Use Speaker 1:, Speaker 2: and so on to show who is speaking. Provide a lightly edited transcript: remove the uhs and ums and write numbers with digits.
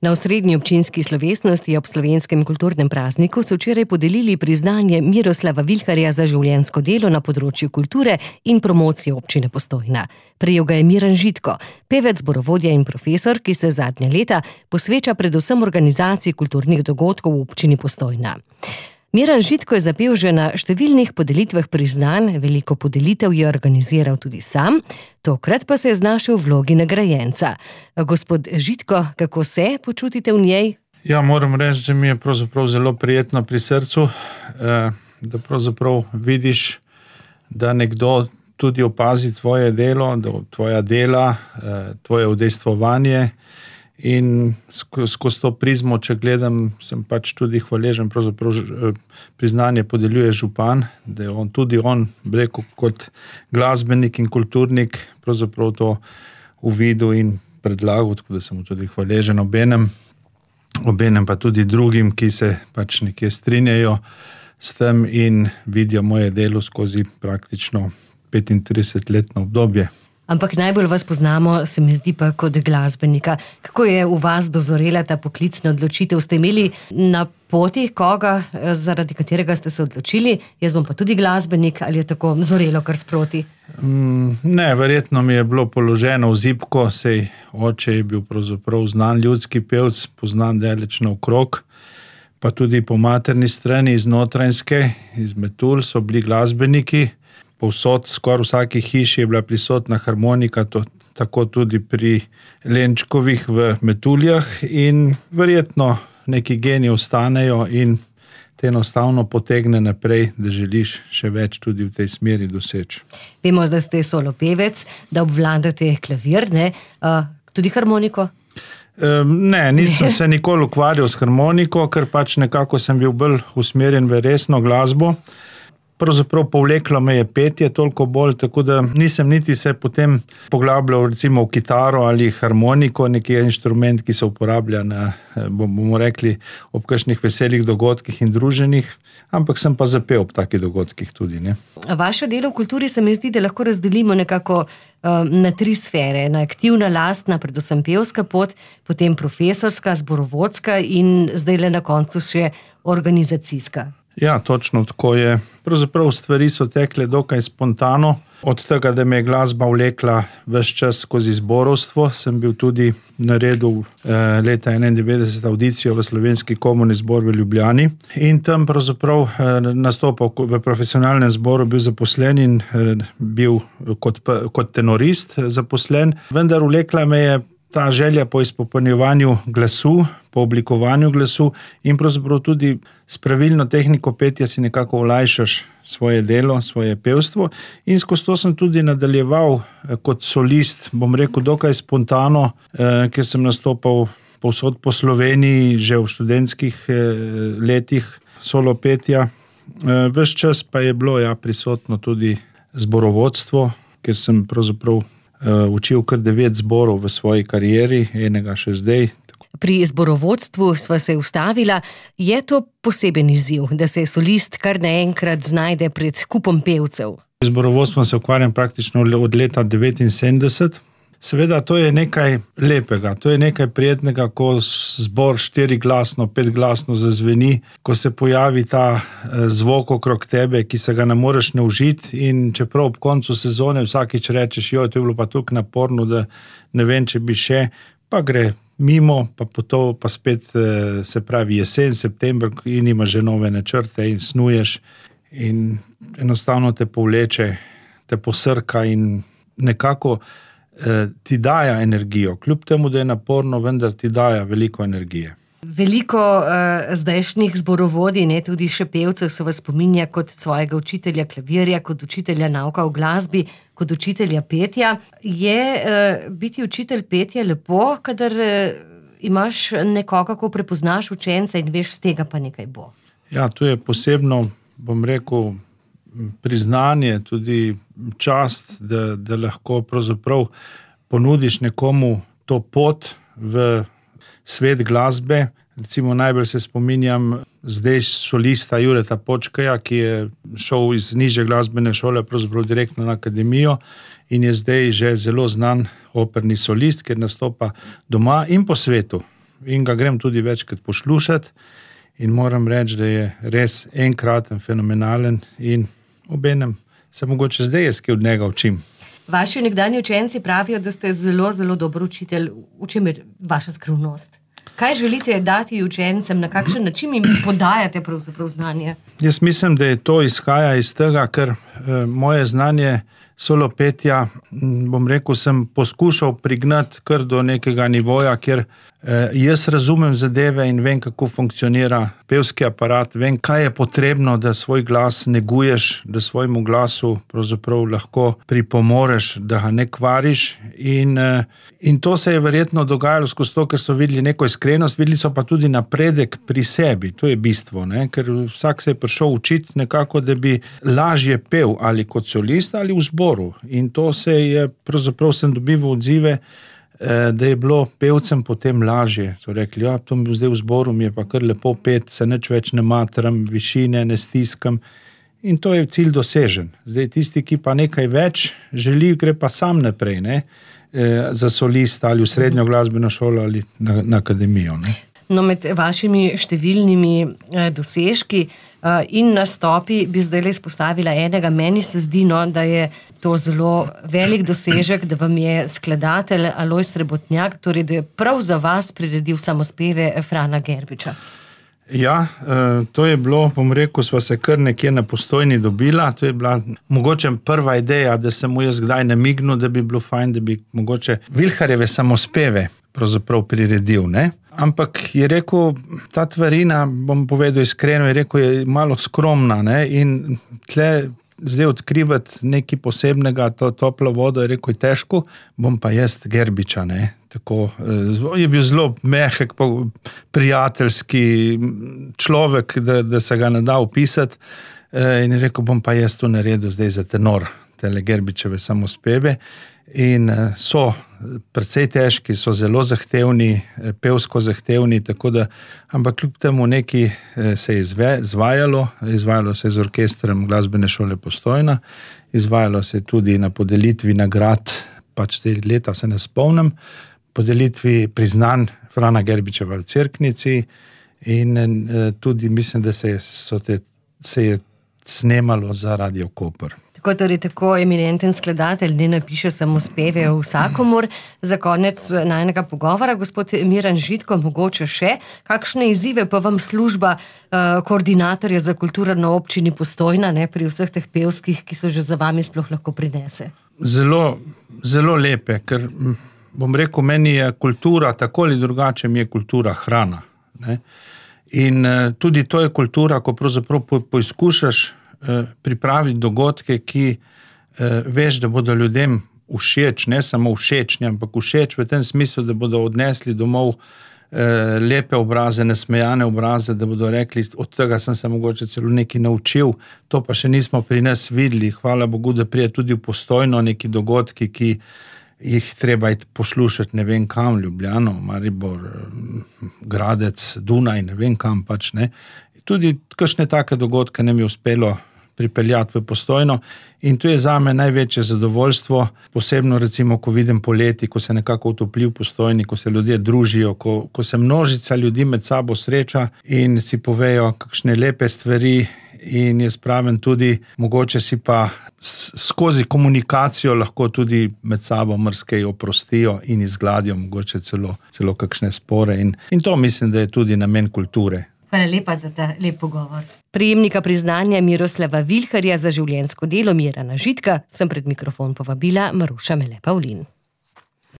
Speaker 1: Na osrednji občinski slovesnosti ob slovenskem kulturnem prazniku so včeraj podelili priznanje Miroslava Vilharja za življenjsko delo na področju kulture in promocije občine Postojna. Prejel ga je Miran Žitko, pevec, zborovodja in profesor, ki se zadnja leta posveča predvsem organizaciji kulturnih dogodkov v občini Postojna. Miran Žitko je zapel že na številnih podelitvah priznanj, veliko podelitev je organiziral tudi sam, tokrat pa se je znašel v vlogi nagrajenca. Gospod Žitko, kako se počutite v njej?
Speaker 2: Ja, moram reči, da mi je pravzaprav zelo prijetno pri srcu, da pravzaprav vidiš, da nekdo tudi opazi tvoje delo, tvoja dela, tvoje udejstvovanje. In skozi to prizmo, če gledam, sem pač tudi hvaležen, pravzaprav priznanje podeljuje župan, da je on, rekel, kot glasbenik in kulturnik, pravzaprav to uvidel in predlagal, tako da sem mu tudi hvaležen obenem pa tudi drugim, ki se pač nekje strinjajo s tem in vidijo moje delo skozi praktično 35-letno obdobje.
Speaker 1: Ampak najbolj vas poznamo, se mi zdi pa kot glasbenika. Kako je v vas dozorela ta poklicna odločitev? Ste imeli na poti koga, zaradi katerega ste se odločili? Jaz bom pa tudi glasbenik, ali je tako zorelo kar sproti?
Speaker 2: Ne, verjetno mi je bilo položeno v zibko, sej oče je bil pravzaprav znan ljudski pevc, poznan daleč naokrog, pa tudi po materni strani iz Notranjske, iz Metul so bili glasbeniki. Povsod, skoraj vsaki hiši je bila prisotna harmonika, tako tudi pri Lenčkovih v Metuljah in verjetno neki geni ostanejo in te enostavno potegne naprej, da želiš še več tudi v tej smeri doseči.
Speaker 1: Vemo, da ste solo pevec, da obvladate klavir, ne? Tudi harmoniko?
Speaker 2: Ne, nisem se nikoli ukvarjal s harmoniko, ker pač nekako sem bil bolj usmerjen v resno glasbo. Pravzaprav povleklo me je petje toliko bolj, tako da nisem niti se potem poglabljal recimo v kitaro ali harmoniko, neki inštrument, ki se uporablja na, bomo rekli, ob kakšnih veselih dogodkih in druženjih, ampak sem pa zapel ob takih dogodkih tudi, ne.
Speaker 1: Vaše delo v kulturi se mi zdi, da lahko razdelimo nekako na 3 sfere. Na aktivna, lastna, predvsem pevska pot, potem profesorska, zborovodska in zdajle na koncu še organizacijska.
Speaker 2: Ja, točno tako je. Pravzaprav stvari so tekle dokaj spontano. Od tega, da me je glasba vlekla ves čas skozi zborovstvo, sem bil tudi naredil leta 1991 audicijo v Slovenski komorni zbor v Ljubljani in tam pravzaprav nastopal v profesionalnem zboru, bil zaposlen in bil kot tenorist zaposlen, vendar vlekla me je ta želja po izpopolnjevanju glasu, po oblikovanju glasu in pravzaprav tudi s pravilno tehniko petja si nekako olajšaš svoje delo, svoje pevstvo in skozi to sem tudi nadaljeval kot solist, bom rekel, dokaj spontano, ker sem nastopal povsod po Sloveniji, že v študentskih letih solo petja. Ves čas pa je bilo prisotno tudi zborovodstvo, ker sem pravzaprav učil kar 9 zborov v svoji karieri, enega še zdaj.
Speaker 1: Pri zborovodstvu sva se ustavila. Je to poseben izziv, da se solist kar naenkrat znajde pred kupom pevcev?
Speaker 2: Z zborovodstvom se ukvarjam praktično od leta 1979. Seveda, to je nekaj lepega, to je nekaj prijetnega, ko zbor 4-glasno, 5-glasno zazveni, ko se pojavi ta zvok okrog tebe, ki se ga ne moreš naužiti in čeprav ob koncu sezone vsakič rečeš, to je bilo pa toliko naporno, da ne vem, če bi še, pa gre mimo, pa spet se pravi jesen, september in imaš že nove načrte in snuješ in enostavno te povleče, te posrka in nekako ti daja energijo. Kljub temu, da je naporno, vendar ti daja veliko energije.
Speaker 1: Veliko zdajšnjih zborovodij, ne, tudi še pevcev se vas spominja kot svojega učitelja klavirja, kot učitelja nauka v glasbi, kot učitelja petja. Je biti učitelj petja lepo, kadar imaš nekoga, ko prepoznaš učenca in veš, z tega pa nekaj bo?
Speaker 2: Ja, to je posebno, bom rekel, priznanje, tudi čast, da lahko pravzaprav ponudiš nekomu to pot v svet glasbe. Recimo najbolj se spominjam zdaj solista Jureta Počkaja, ki je šel iz nižje glasbene šole pravzaprav direktno na akademijo in je zdaj že zelo znan operni solist, ker nastopa doma in po svetu. in ga grem tudi večkrat poslušati in moram reči, da je res enkraten, fenomenalen in obenem se mogoče zdaj jaz kaj od njega učim.
Speaker 1: Vaši nekdanji učenci pravijo, da ste zelo, zelo dober učitelj. V čem je vaša skrivnost? Kaj želite dati učencem, na kakšen način jim podajate pravzaprav znanje?
Speaker 2: Jaz mislim, da je to izhaja iz tega, ker moje znanje solo petja, bom rekel, sem poskušal prignati kar do nekega nivoja, kjer jaz razumem zadeve in vem, kako funkcionira pevski aparat, vem, kaj je potrebno, da svoj glas neguješ, da svojemu glasu pravzaprav lahko pripomoreš, da ga ne kvariš in to se je verjetno dogajalo skozi to, ker so videli neko iskrenost, videli so pa tudi napredek pri sebi, to je bistvo, ne? Ker vsak se je prišel učiti nekako, da bi lažje pel ali kot solist ali v zboru in to se je, pravzaprav sem dobival odzive, da je bilo pevcem potem lažje. So rekli, ja, to mi zdaj v zboru, mi je pa kar lepo pet, se nič več ne matram, višine ne stiskam in to je cilj dosežen. Zdaj tisti, ki pa nekaj več želi, gre pa sam naprej, ne? Za solista ali v srednjo glasbeno šolo ali na akademijo. Ne?
Speaker 1: No, med vašimi številnimi dosežki in nastopi bi zdaj izpostavila enega. Meni se zdi, da je to zelo velik dosežek, da vam je skladatelj Alojz Srebotnjak, torej da je prav za vas priredil samospeve Frana Gerbiča.
Speaker 2: Ja, to je bilo, bom rekel, sva se kar nekje na Postojni dobila, to je bila mogoče prva ideja, da sem mu jaz kdaj namignil, da bi bilo fajn, da bi mogoče Vilharjeve samospeve pravzaprav priredil, ne? Ampak je rekel, ta tvarina, bom povedal iskreno, je rekel, je malo skromna, ne? In tle zdaj odkrivati nekaj posebnega, to toplo vodo, je rekel, je težko, bom pa jaz Gerbiča, ne? Tako, je bil zelo mehek, prijateljski človek, da se ga ne da opisati in je rekel, bom pa jaz to naredil zdaj za tenor, tele Gerbičeve samospeve in so precej težki, so zelo zahtevni, pevsko zahtevni, tako da, ampak kljub temu nekaj se je izvajalo se je z orkestrom Glasbene šole Postojna, izvajalo se je tudi na podelitvi nagrad, pač te leta se ne spomnim, podelitvi priznanj Frana Gerbičeva v Cerknici in tudi mislim, da se je snemalo za Radio Koper.
Speaker 1: Tako eminenten skladatelj ne napiše samospeve vsakomur. Za konec najinega pogovora, gospod Miran Žitko, mogoče še, kakšne izzive pa vam služba koordinatorja za kulturo na občini Postojna, ne, pri vseh teh pevskih, ki so že za vami sploh lahko prinese?
Speaker 2: Zelo, zelo lepe, ker bom rekel, meni je kultura, tako ali drugače mi je kultura hrana. Ne? In tudi to je kultura, ko pravzaprav poizkušaš pripraviti dogodke, ki veš, da bodo ljudem všeč, ne samo všečni, ampak všeč v tem smislu, da bodo odnesli domov lepe obraze, nasmejane obraze, da bodo rekli, od tega sem se mogoče celo nekaj naučil, to pa še nismo pri nas videli. Hvala Bogu, da prije tudi v Postojno neki dogodki, ki jih treba poslušati ne vem kam, Ljubljano, Maribor, Gradec, Dunaj, ne vem kam pač, ne. Tudi kakšne take dogodke nam je uspelo pripeljati v Postojno in to je zame največje zadovoljstvo, posebno recimo, ko vidim poleti, ko se nekako utopli v Postojni, ko se ljudje družijo, ko se množica ljudi med sabo sreča in si povejo kakšne lepe stvari in jaz pravim tudi, mogoče si pa skozi komunikacijo lahko tudi med sabo marsikaj oprostijo in izgladijo mogoče celo kakšne spore in to mislim, da je tudi namen kulture.
Speaker 1: Hvala lepa za ta lep pogovor. Prejemnika priznanja Miroslava Vilharja za življenjsko delo Mirana Žitka sem pred mikrofon povabila Maruša Mele Pavlin.